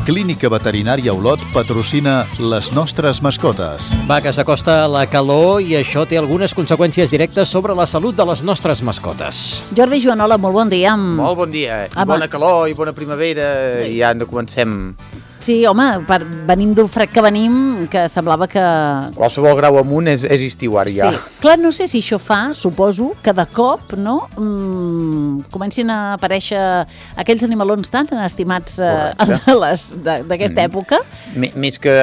Clínica Veterinària Olot patrocina les nostres mascotes. Va, que s'acosta la calor i això té algunes conseqüències directes sobre la salut de les nostres mascotes. Jordi Joanola, molt bon dia. Molt bon dia. I bona calor i bona primavera. I ja comencem. Sí, home, venim d'un fred que venim, que semblava que... Qualsevol grau amunt és estiu ara ja. Sí, clar, no sé si això fa, suposo, que de cop, no?, comencin a aparèixer aquells animalons tan estimats d'aquesta època. Més que,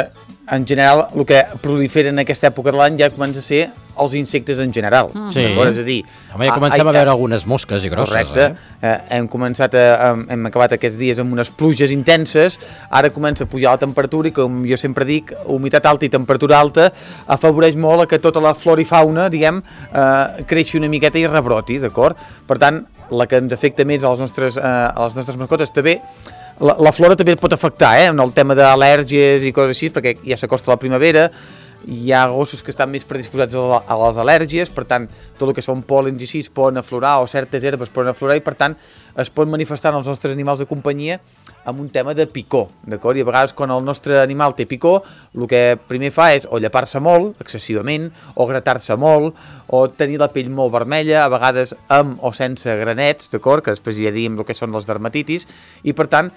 en general, el que prolifera en aquesta època de l'any ja comença a ser els insectes en general. Sí. És a dir... Home, ja comencem a veure algunes mosques i grosses. Correcte. Hem acabat aquests dies amb unes pluges intenses, ara comença a pujar la temperatura i, com jo sempre dic, humitat alta i temperatura alta afavoreix molt a que tota la flora i fauna, diguem, creixi una miqueta i rebroti, d'acord? Per tant, la que ens afecta més a les nostres mascotes també, la flora també pot afectar, en el tema d'al·lèrgies i coses així, perquè ja s'acosta la primavera, hi ha gossos que estan més predisposats a les al·lèrgies, per tant, tot el que són pòlens i així poden aflorar, o certes herbes poden aflorar, i per tant es pot manifestar en els nostres animals de companyia amb un tema de picor, d'acord? I a vegades quan el nostre animal té picor, el que primer fa és o llepar-se molt, excessivament, o gratar-se molt, o tenir la pell molt vermella, a vegades amb o sense granets, d'acord? Que després ja diem el que són les dermatitis, i per tant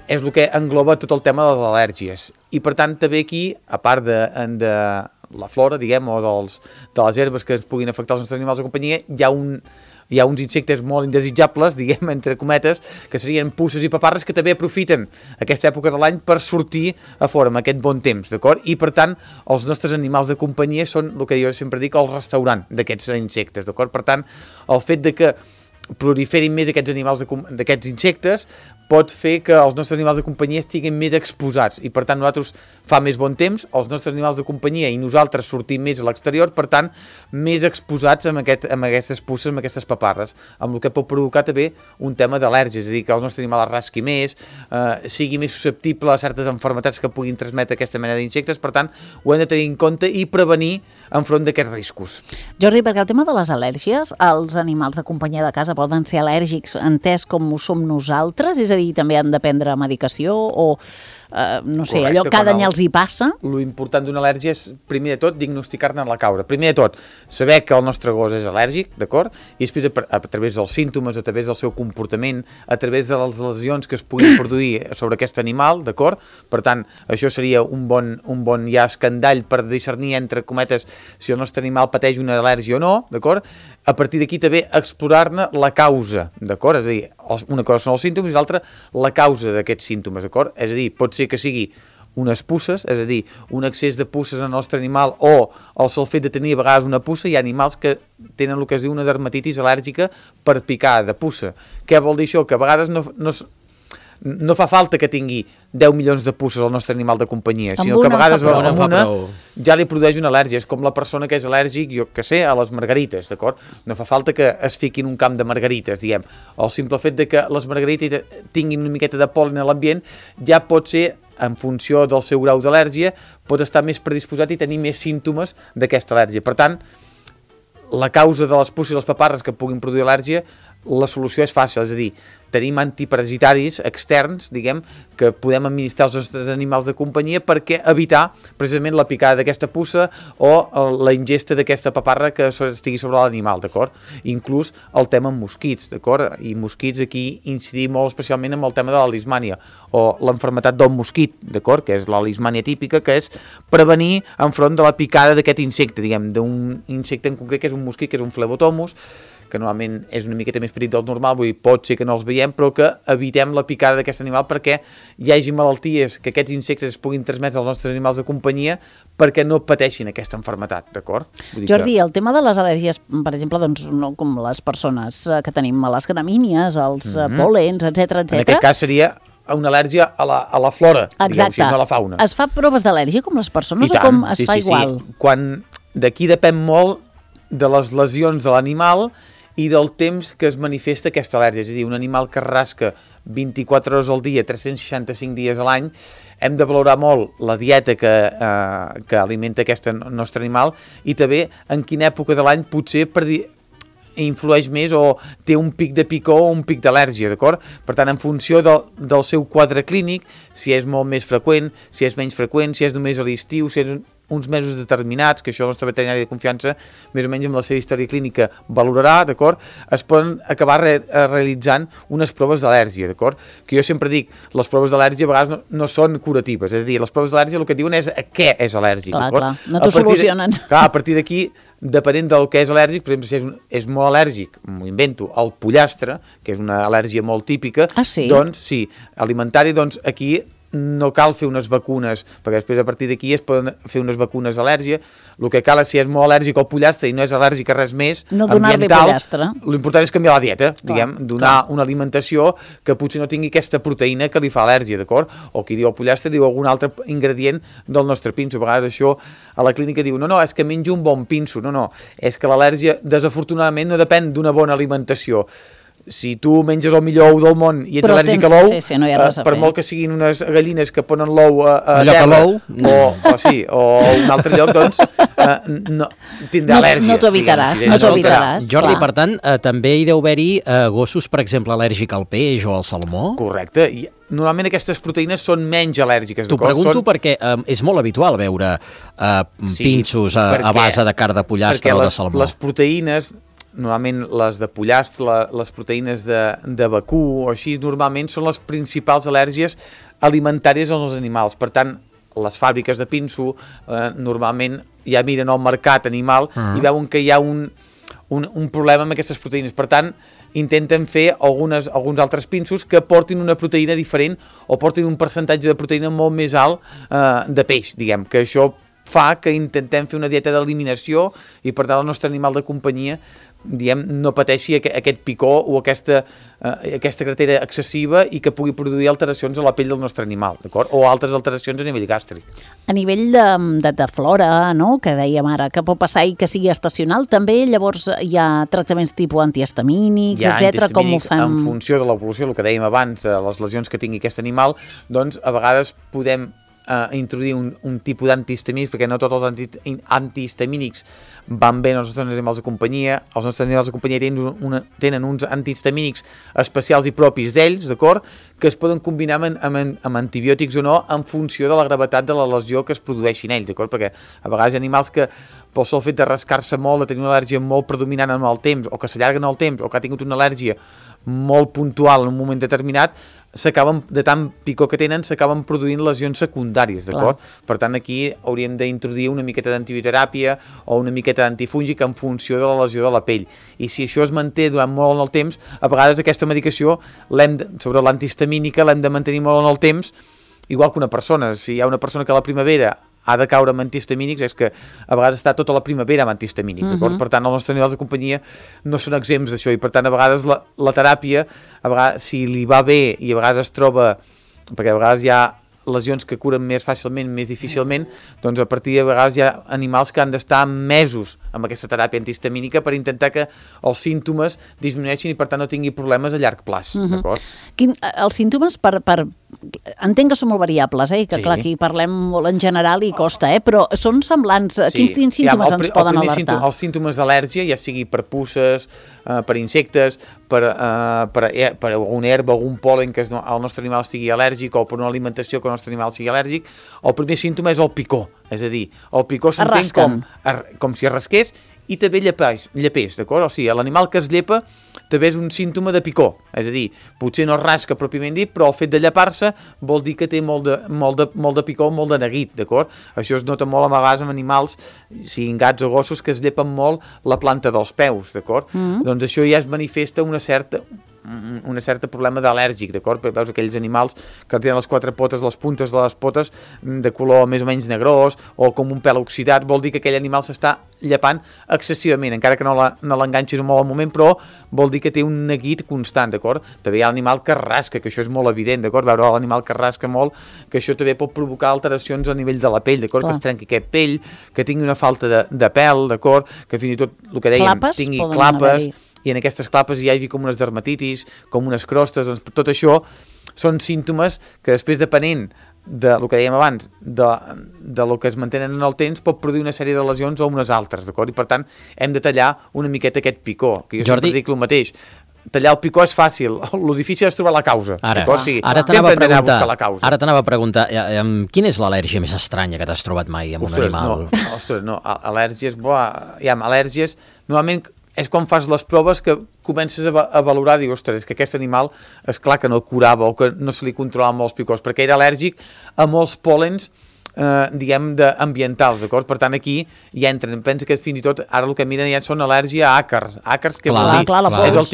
és el que engloba tot el tema de les al·lèrgies. I per tant també aquí, a part de la flora, diguem, o de les herbes que ens puguin afectar els nostres animals de companyia, hi ha uns insectes molt indesitjables, diguem, entre cometes, que serien puces i paparres, que també aprofiten aquesta època de l'any per sortir a fora amb aquest bon temps, d'acord? I per tant, els nostres animals de companyia són el que jo sempre dic, el restaurant d'aquests insectes, d'acord? Per tant, el fet de que proliferin més d'aquests insectes pot fer que els nostres animals de companyia estiguin més exposats i per tant nosaltres fa més bon temps, els nostres animals de companyia i nosaltres sortim més a l'exterior, per tant més exposats amb aquestes puces, amb aquestes paparres, amb el que pot provocar també un tema d'al·lèrgies, és a dir, que el nostre animal es rasqui més, sigui més susceptible a certes malalties que puguin transmetre aquesta mena d'insectes, per tant ho hem de tenir en compte i prevenir enfront d'aquests riscos. Jordi, perquè el tema de les al·lèrgies, els animals de companyia de casa poden ser al·lèrgics entès com ho som nosaltres, és a dir, també han de prendre medicació o, no sé, correcte, allò cada any els hi passa? Lo important d'una al·lèrgia és, primer de tot, diagnosticar-ne la causa. Primer de tot, saber que el nostre gos és al·lèrgic, d'acord? I després, a través dels símptomes, a través del seu comportament, a través de les lesions que es puguin produir sobre aquest animal, d'acord? Per tant, això seria un bon ja escandall per discernir, entre cometes, si el nostre animal pateix una al·lèrgia o no, d'acord? A partir d'aquí també explorar-ne la causa, d'acord? És a dir, una cosa són els símptomes i l'altra la causa d'aquests símptomes, d'acord? És a dir, pot ser que sigui unes puces, és a dir, un excés de puces en el nostre animal o el sol fet de tenir a vegades una puça. Hi ha animals que tenen el que es diu una dermatitis al·lèrgica per picar de puça. Què vol dir això? Que a vegades no fa falta que tingui 10 milions de puces al nostre animal de companyia, sinó que a vegades amb una ja li produeix una al·lèrgia. És com la persona que és al·lèrgic, jo que sé, a les margarites, d'acord? No fa falta que es fiqui en un camp de margarites, diguem. El simple fet de que les margarites tinguin una miqueta de pol·len a l'ambient ja pot ser, en funció del seu grau d'al·lèrgia, pot estar més predisposat i tenir més símptomes d'aquesta al·lèrgia. Per tant, la causa de les puces i les paparres que puguin produir al·lèrgia, la solució és fàcil, és a dir, tenim antiparasitaris externs, diguem, que podem administrar als nostres animals de companyia perquè evitar precisament la picada d'aquesta puça o la ingesta d'aquesta paparra que estigui sobre l'animal, d'acord? Inclús el tema amb mosquits, d'acord? I mosquits aquí incidim molt especialment amb el tema de la lismània o l'enfermetat del mosquit, d'acord? Que és la lismània típica, que és prevenir enfront de la picada d'aquest insecte, diguem, d'un insecte en concret que és un mosquit, que és un Phlebotomus, que normalment és una miqueta més petit del normal, vull dir, pot ser que no els veiem, però que evitem la picada d'aquest animal perquè hi hagi malalties que aquests insectes es puguin transmetre als nostres animals de companyia perquè no pateixin aquesta malaltia, d'acord? Jordi, el tema de les al·lèrgies, per exemple, doncs, no com les persones que tenim a les gramínies, els pol·lens, etc. En aquest cas seria una al·lèrgia a la flora, diguem, no a la fauna. Es fa proves d'al·lèrgia com les persones o com es fa igual? Sí. D'aquí depèn molt de les lesions de l'animal i del temps que es manifesta aquesta al·lèrgia. És a dir, un animal que rasca 24 hores al dia, 365 dies a l'any, hem de valorar molt la dieta que alimenta aquest nostre animal i també en quina època de l'any potser influeix més o té un pic de picor o un pic d'al·lèrgia, d'acord? Per tant, en funció del seu quadre clínic, si és molt més freqüent, si és menys freqüent, si és només a l'estiu, si és uns mesos determinats, que això el nostre veterinari de confiança, més o menys amb la seva història clínica, valorarà, d'acord? Es poden acabar realitzant unes proves d'al·lèrgia, d'acord? Que jo sempre dic, les proves d'al·lèrgia a vegades no són curatives, és a dir, les proves d'al·lèrgia el que diuen és a què és al·lèrgic, d'acord? Clar, no t'ho solucionen. Clar, a partir d'aquí, depenent del que és al·lèrgic, per exemple, si és molt al·lèrgic, m'ho invento, al pollastre, que és una al·lèrgia molt típica, doncs, sí, alimentari, doncs aquí no cal fer unes vacunes, perquè després a partir d'aquí es poden fer unes vacunes d'al·lèrgia. El que cal és, si és molt al·lèrgic al pollastre i no és al·lèrgic a res més, no donar-li pollastre. L'important és canviar la dieta, diguem, donar una alimentació que potser no tingui aquesta proteïna que li fa al·lèrgia, d'acord? O qui diu el pollastre diu algun altre ingredient del nostre pinso. A vegades això a la clínica diu, no, és que menjo un bon pinso. No, és que l'al·lèrgia, desafortunadament, no depèn d'una bona alimentació. Si tu menges el millor ou del món i ets al·lèrgic a l'ou, no per molt que siguin unes gallines que ponen l'ou a terra, o un altre lloc, doncs no tindrà al·lèrgia. No t'ho evitaràs. Jordi, per tant, també hi deu haver-hi gossos, per exemple, al·lèrgic al peix o al salmó? Correcte, i normalment aquestes proteïnes són menys al·lèrgiques. T'ho pregunto perquè és molt habitual veure pinxos a base de carn de pollastre o de salmó. Les proteïnes, normalment les de pollastre, les proteïnes de vacú o així, normalment són les principals al·lèrgies alimentàries als animals. Per tant, les fàbriques de pinso normalment ja miren el mercat animal i veuen que hi ha un problema amb aquestes proteïnes. Per tant, intenten fer alguns altres pinsos que portin una proteïna diferent o portin un percentatge de proteïna molt més alt de peix, diguem, que això fa que intentem fer una dieta d'eliminació i per tant el nostre animal de companyia no pateixi aquest picor o aquesta gratera excessiva i que pugui produir alteracions a la pell del nostre animal, d'acord? O altres alteracions a nivell gàstric. A nivell de flora, no?, que dèiem ara, que pot passar i que sigui estacional, també llavors hi ha tractaments tipus antihistamínics, etc. Com ho fem? En funció de l'evolució, el que dèiem abans, de les lesions que tingui aquest animal, doncs a vegades podem introduir un tipus d'antihistamínics, perquè no tots els antihistamínics van bé als nostres animals de companyia. Els nostres animals de companyia tenen uns antihistamínics especials i propis d'ells, d'acord?, que es poden combinar amb antibiòtics o no en funció de la gravetat de la lesió que es produeixi en ells, d'acord? Perquè a vegades hi ha animals que pel sol fet de rascar-se molt, de tenir una al·lèrgia molt predominant en el temps, o que s'allarguen el temps, o que ha tingut una al·lèrgia molt puntual en un moment determinat, de tant picor que tenen, s'acaben produint lesions secundàries, d'acord? Per tant, aquí hauríem d'introduir una miqueta d'antibioteràpia o una miqueta d'antifúngic en funció de la lesió de la pell. I si això es manté durant molt en el temps, a vegades aquesta medicació, sobre l'antihistamínica, l'hem de mantenir molt en el temps, igual que una persona. Si hi ha una persona que a la primavera ha de caure amb antihistamínics, és que a vegades està tota la primavera amb antihistamínics, d'acord? Per tant, els nostres animals de companyia no són exempts d'això i, per tant, a vegades la teràpia, si li va bé i a vegades es troba, perquè a vegades hi ha lesions que curen més fàcilment, més difícilment, doncs a partir de vegades hi ha animals que han d'estar mesos amb aquesta teràpia antihistamínica per intentar que els símptomes disminueixin i per tant no tingui problemes a llarg plaç, d'acord? Els símptomes entenc que són molt variables, que clar, aquí parlem molt en general i costa, però són semblants. Quins símptomes ens poden alertar? Els símptomes d'al·lèrgia, ja sigui per puces, per insectes, per alguna herba, algun pol·len que el nostre animal sigui al·lèrgic o per una alimentació que el nostre animal sigui al·lèrgic, el primer símptoma és el picor, és a dir, el picor s'entén com si es rasqués i també llepés, d'acord? O sigui, l'animal que es llepa també és un símptoma de picor, és a dir, potser no es rasca pròpiament dit, però el fet de llepar-se vol dir que té molt de picor, molt de neguit, d'acord? Això es nota molt a vegades amb animals, siguin gats o gossos, que es llepen molt la planta dels peus, d'acord? Doncs això ja es manifesta una certa problema d'al·lèrgic, d'acord? Perquè veus aquells animals que tenen les quatre potes, les puntes de les potes de color més o menys negrós o com un pèl oxidat, vol dir que aquell animal s'està llepant excessivament, encara que no l'enganxis molt al moment, però vol dir que té un neguit constant, d'acord? També hi ha l'animal que rasca, que això és molt evident, d'acord? Veure l'animal que rasca molt, que això també pot provocar alteracions a nivell de la pell, d'acord? Que es trenqui aquest pell, que tingui una falta de pèl, d'acord? Que fins i tot, el que dèiem, tingui clapes, i en aquestes clapes hi hagi com unes dermatitis, com unes crostes, doncs tot això són símptomes que després, depenent del que dèiem abans, de lo que es mantenen en el temps, pot produir una sèrie de lesions o unes altres, d'acord? I per tant, hem de tallar una miqueta aquest picó, que jo sempre dic el mateix. Tallar el picó és fàcil, el difícil és trobar la causa. Ara t'anava a preguntar, quina és l'al·lèrgia més estranya que t'has trobat mai amb un animal? No, al·lèrgies, normalment és quan fas les proves que comences a valorar, dius, ostres, és que aquest animal, és clar que no curava o que no se li controlaven molts picors, perquè era al·lèrgic a molts pòlens, diguem, ambientals, d'acord? Per tant, aquí ja entren, pensa que fins i tot ara el que miren ja són al·lèrgia a àcars, que és el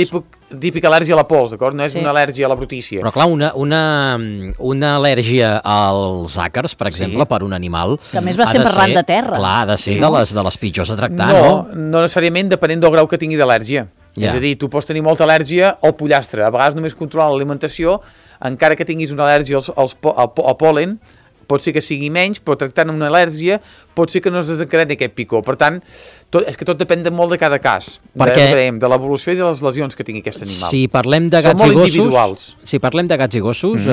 típic al·lèrgia a la pols, d'acord? No és una al·lèrgia a la brutícia. Però clar, una al·lèrgia als àcars, per exemple, per un animal... Que a més va ser arran de terra. Clar, ha de ser de les pitjors a tractar, no? No necessàriament, depenent del grau que tingui d'al·lèrgia. És a dir, tu pots tenir molta al·lèrgia al pollastre, a vegades només controlant l'alimentació, encara que tinguis una al·lèrgia al pol·len, pot ser que sigui menys, però tractant una al·lèrgia pot ser que no es desencadeni aquest picó. Per tant, és que tot depèn molt de cada cas, de l'evolució i de les lesions que tingui aquest animal. Si parlem de gats i gossos,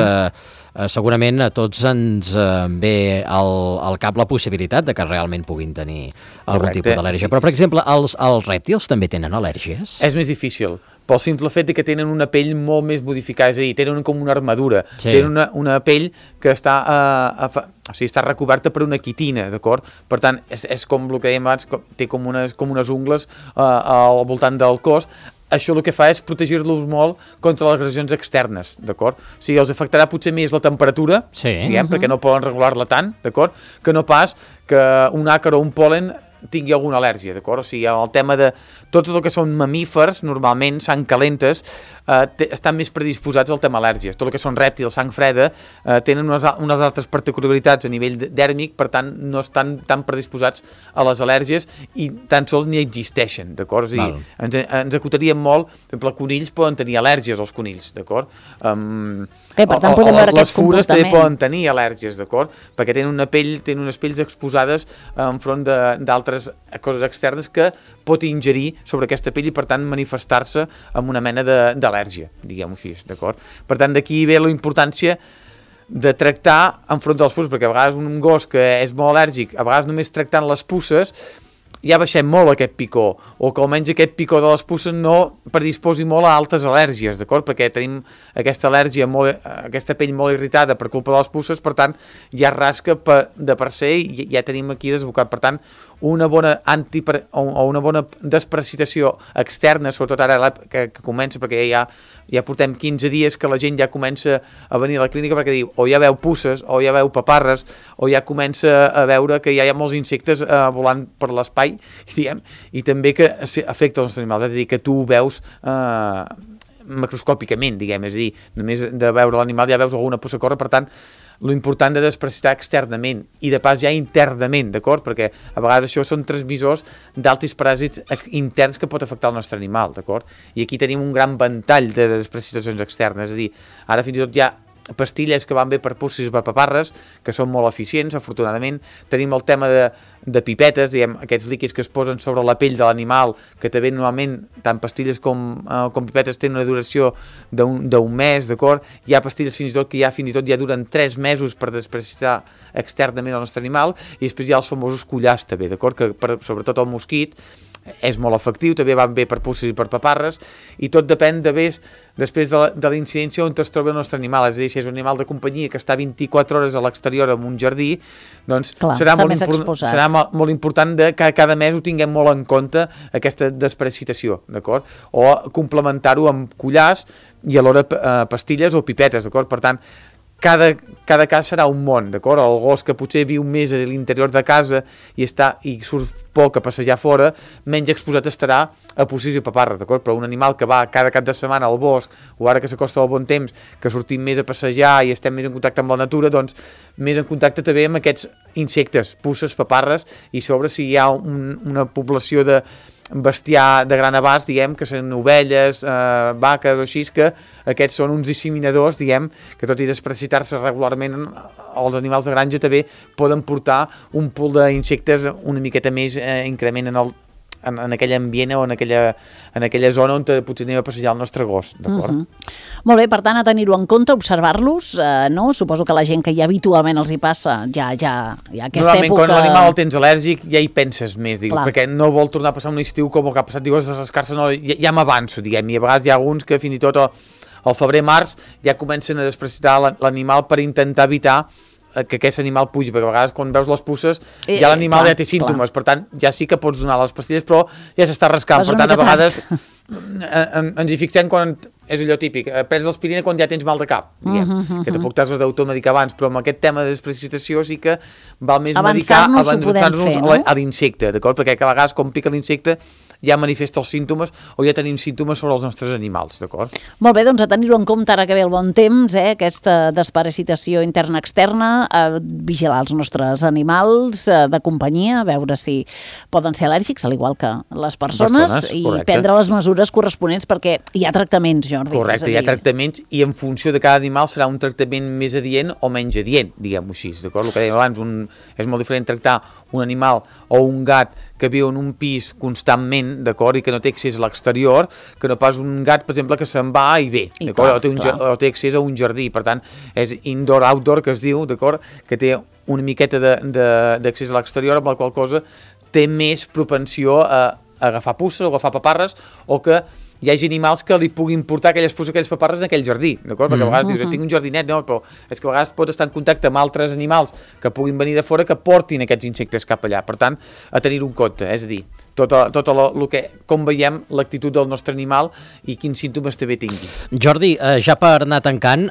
segurament a tots ens ve al cap la possibilitat de que realment puguin tenir algun tipus d'al·lèrgia. Però, per exemple, els rèptils també tenen al·lèrgies? És més difícil, pel simple fet que tenen una pell molt més modificada, és a dir, tenen com una armadura, tenen una pell que està recoberta per una quitina, d'acord? Per tant, és com el que dèiem abans, té com unes ungles al voltant del cos. Això el que fa és protegir-los molt contra les agressions externes, d'acord? O sigui, els afectarà potser més la temperatura, diguem, perquè no poden regular-la tant, d'acord? Que no pas que un àcar o un pol·len tingui alguna al·lèrgia, d'acord? O sigui, el tema de tot el que són mamífers, normalment, sang calentes, estan més predisposats al tema al·lèrgies. Tot el que són rèptils, sang freda, tenen unes altres particularitats a nivell dèrmic, per tant, no estan tan predisposats a les al·lèrgies i tan sols ni existeixen, d'acord? O sigui, ens acotaríem molt, per exemple, conills poden tenir al·lèrgies, els conills, d'acord? Per tant, podem veure les fures també poden tenir al·lèrgies, d'acord? Perquè tenen unes pells exposades enfront d'altres coses externes que pot ingerir sobre aquesta pell i, per tant, manifestar-se amb una mena d'al·lèrgia, diguem-ho així, d'acord? Per tant, d'aquí ve la importància de tractar enfront dels pusses, perquè a vegades un gos que és molt al·lèrgic, a vegades només tractant les pusses, ja baixem molt aquest picó, o que almenys aquest picó de les pusses no predisposi molt a altes al·lèrgies, d'acord? Perquè tenim aquesta al·lèrgia, aquesta pell molt irritada per culpa de les pusses, per tant, ja rasca de per se i ja tenim aquí desbocat. Per tant, una bona desparasitació externa, sobretot ara que comença, perquè ja portem 15 dies que la gent ja comença a venir a la clínica perquè diu, o ja veu pusses, o ja veu paparres, o ja comença a veure que ja hi ha molts insectes volant per l'espai, i també que afecta els animals, és a dir, que tu ho veus macroscòpicament, diguem, és a dir, només de veure l'animal ja veus alguna pussa córrer, per tant, lo important de desparasitar externament i de pas ja internament, d'acord? Perquè a vegades això són transmissors d'altres paràsits interns que pot afectar el nostre animal, d'acord? I aquí tenim un gran ventall de desparasitacions externes, és a dir, ara fins i tot hi ha pastilles que van bé per pusses i per paparres, que són molt eficients, afortunadament. Tenim el tema de pipetes, diguem, aquests líquids que es posen sobre la pell de l'animal, que també normalment, tant pastilles com pipetes tenen una duració d'un mes, d'acord? Hi ha pastilles fins i tot ja duren 3 mesos per desparasitar externament el nostre animal, i després hi ha els famosos collars també, d'acord? Que sobretot el mosquit és molt efectiu, també van bé per pusses i per paparres, i tot depèn després de la incidència on es troba el nostre animal. És a dir, si és un animal de companyia que està 24 hores a l'exterior en un jardí, doncs serà molt important que cada mes ho tinguem molt en compte, aquesta desparasitació, d'acord? O complementar-ho amb collars i alhora pastilles o pipetes, d'acord? Per tant, cada cas serà un món, d'acord? El gos que potser viu més a l'interior de casa i surt poc a passejar fora, menys exposat estarà a pussis i paparres, d'acord? Però un animal que va cada cap de setmana al bosc, o ara que s'acosta el bon temps, que sortim més a passejar i estem més en contacte amb la natura, doncs més en contacte també amb aquests insectes, pusses, paparres, i sobre si hi ha una població de bestiar de gran abast, diguem, que són ovelles, vaques o així, que aquests són uns disseminadors, diguem, que tot i desparasitar-se regularment, els animals de granja també poden portar un pool d'insectes una miqueta més increment en en aquell ambient o en aquella zona on potser anem a passejar el nostre gos, d'acord? Molt bé, per tant, a tenir-ho en compte, observar-los, no? Suposo que la gent que ja habitualment els hi passa, ja aquesta normalment, època... quan l'animal el tens al·lèrgic, ja hi penses més, perquè no vol tornar a passar un estiu com el que ha passat, dius, a rascar-se, no, ja m'avanço, diguem, i a vegades hi ha alguns que fins i tot al febrer-març ja comencen a despreciar l'animal per intentar evitar que aquest animal pugi, perquè a vegades quan veus les puces ja l'animal ja té símptomes, per tant ja sí que pots donar les pastilles, però ja s'està rascant, per tant a vegades ens hi fixem quan és allò típic, prens l'aspirina quan ja tens mal de cap, diguem, que tampoc t'has d'automedicar abans, però amb aquest tema de desprecipitació sí que val més avançar-nos a l'insecte, d'acord? Perquè a vegades quan pica l'insecte ja manifesta els símptomes o ja tenim símptomes sobre els nostres animals, d'acord? Molt bé, doncs a tenir-ho en compte ara que ve el bon temps, aquesta desparasitació interna-externa, vigilar els nostres animals de companyia, veure si poden ser al·lèrgics, al igual que les persones, i prendre les mesures corresponents perquè hi ha tractaments, Jordi. Correcte, hi ha tractaments i en funció de cada animal serà un tractament més adient o menys adient, diguem-ho així, d'acord? El que dèiem abans, és molt diferent tractar un animal o un gat que viu en un pis constantment, d'acord, i que no té accés a l'exterior, que no pas un gat, per exemple, que se'n va i ve, d'acord? O té accés a un jardí, per tant, és indoor-outdoor, que es diu, d'acord? Que té una miqueta d'accés a l'exterior, amb la qual cosa té més propensió a agafar puces o agafar paparres, o que hi hagi animals que li puguin portar aquelles puces, aquelles paparres en aquell jardí, d'acord? Perquè a vegades dius, tinc un jardinet, no, però és que a vegades pots estar en contacte amb altres animals que puguin venir de fora que portin aquests insectes cap allà. Per tant, a tenir-ho en compte, és a dir, com veiem l'actitud del nostre animal i quins símptomes també tingui. Jordi, ja per anar tancant,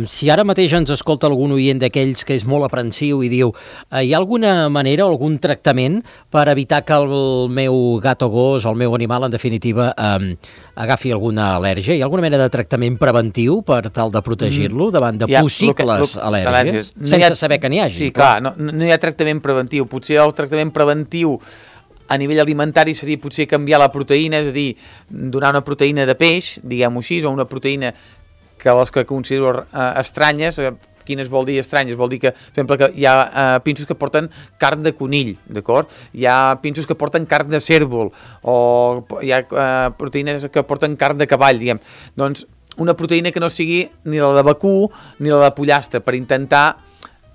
si ara mateix ens escolta algun oient d'aquells que és molt aprensiu i diu, hi ha alguna manera o algun tractament per evitar que el meu gat o gos o el meu animal, en definitiva, agafi alguna al·lèrgia? Hi ha alguna mena de tractament preventiu per tal de protegir-lo davant de possibles al·lèrgies? Sense saber que n'hi hagi. Sí, clar, no hi ha tractament preventiu. Potser el tractament preventiu a nivell alimentari seria potser canviar la proteïna, és a dir, donar una proteïna de peix, diguem-ho així, o una proteïna que les que considero estranyes. Quines vol dir estranyes? Vol dir que, per exemple, que hi ha pinsos que porten carn de conill, d'acord? Hi ha pinsos que porten carn de cérvol, o hi ha proteïnes que porten carn de cavall, diguem. Doncs una proteïna que no sigui ni la de vacú ni la de pollastre, per intentar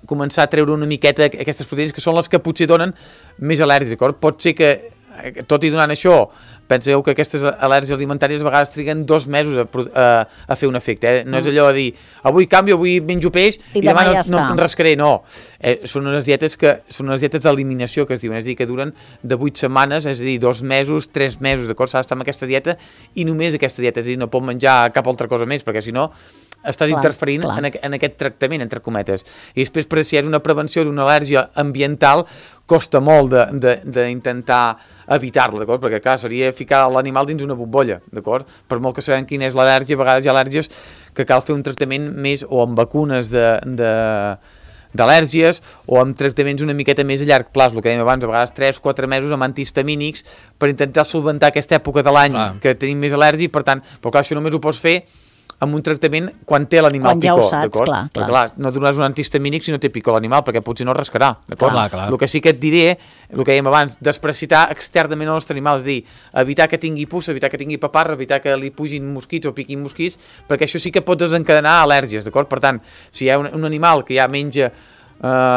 començar a treure una miqueta aquestes proteïnes que són les que potser donen més al·lèrgies, d'acord? Pot ser que, tot i donant això, penseu que aquestes al·lèrgies alimentàries a vegades triguen 2 mesos a fer un efecte, No és allò de dir, avui canvio, avui menjo peix i demà no em rascaré, no. Són unes dietes d'eliminació que es diuen, és a dir, que duren de 8 setmanes, és a dir, 2 mesos, 3 mesos, d'acord? S'ha d'estar amb aquesta dieta i només aquesta dieta, és a dir, no pot menjar cap altra cosa més, perquè si no estàs interferint en aquest tractament, entre cometes. I després, si és una prevenció d'una al·lèrgia ambiental, costa molt d'intentar evitar-la, d'acord? Perquè, clar, seria ficar l'animal dins una bombolla, d'acord? Per molt que sabem quina és l'al·lèrgia, a vegades hi ha al·lèrgies que cal fer un tractament més o amb vacunes d'al·lèrgies o amb tractaments una miqueta més a llarg plaç, el que dèiem abans, a vegades 3-4 mesos amb antihistamínics per intentar solventar aquesta època de l'any que tenim més al·lèrgia, per tant, però clar, això només ho pots fer amb un tractament quan té l'animal picor, d'acord? Perquè clar, no donaràs un antihistamínic si no té picor l'animal, perquè potser no rascarà, d'acord? El que sí que et diré, el que dèiem abans, desparasitar externament el nostre animal, és a dir, evitar que tingui puça, evitar que tingui paparra, evitar que li pugin mosquits o piquin mosquits, perquè això sí que pot desencadenar al·lèrgies, d'acord? Per tant, si hi ha un animal que ja menja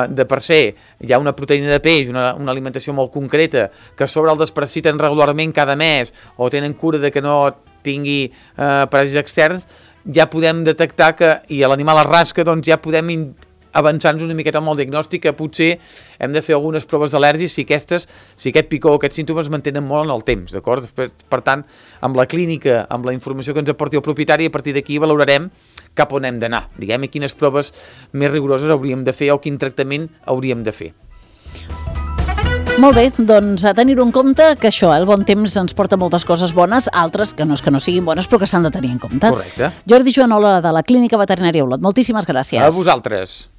de per se, hi ha una proteïna de peix, una alimentació molt concreta, que a sobre el desparasiten regularment cada mes, o tenen cura de que no tingui paràsits externs, ja podem detectar que, i l'animal es rasca, doncs ja podem avançar-nos una miqueta amb el diagnòstic, que potser hem de fer algunes proves d'al·lèrgia si aquest picor o aquests símptomes es mantenen molt en el temps, d'acord? Per tant, amb la clínica, amb la informació que ens aporti el propietari, a partir d'aquí valorarem cap on hem d'anar, diguem, i quines proves més rigoroses hauríem de fer o quin tractament hauríem de fer. Molt bé, doncs a tenir-ho en compte, que això, el bon temps ens porta moltes coses bones, altres que no siguin bones, però que s'han de tenir en compte. Correcte. Jordi Joanola, de la Clínica Veterinària Olot, moltíssimes gràcies. A vosaltres.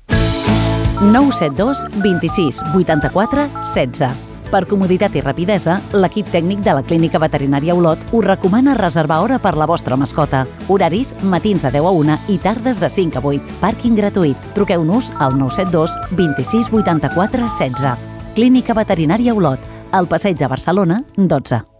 972 26 84 16. Per comoditat i rapidesa, l'equip tècnic de la Clínica Veterinària Olot us recomana reservar hora per la vostra mascota. Horaris matins de 10 a 1 i tardes de 5 a 8. Pàrquing gratuït. Truqueu-nos al 972 26 84 16. Clínica Veterinària Olot, al Passeig de Barcelona, 12.